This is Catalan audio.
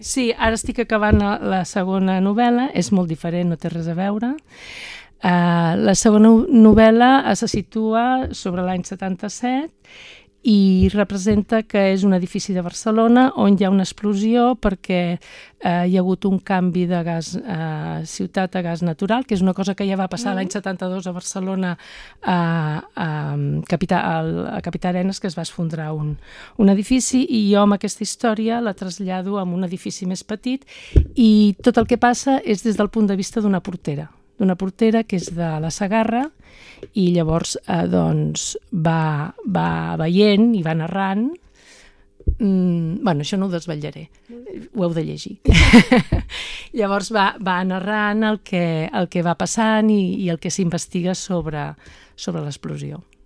Sí, ara estic acabant la segona novel·la, és molt diferent, no té res a veure. La segona novel·la se situa sobre l'any 77 i representa que és un edifici de Barcelona on hi ha una explosió perquè hi ha hagut un canvi de gas, ciutat a gas natural, que és una cosa que ja va passar l'any 72 a Barcelona, a Capità Arenas, que es va esfondrar un edifici, i jo amb aquesta història la trasllado a un edifici més petit i tot el que passa és des del punt de vista d'una portera que és de la Segarra, i llavors va veient i va narrant. Bueno, això no ho desvetllaré, ho heu de llegir. Llavors va narrant el que va passant i el que s'investiga sobre l'explosió.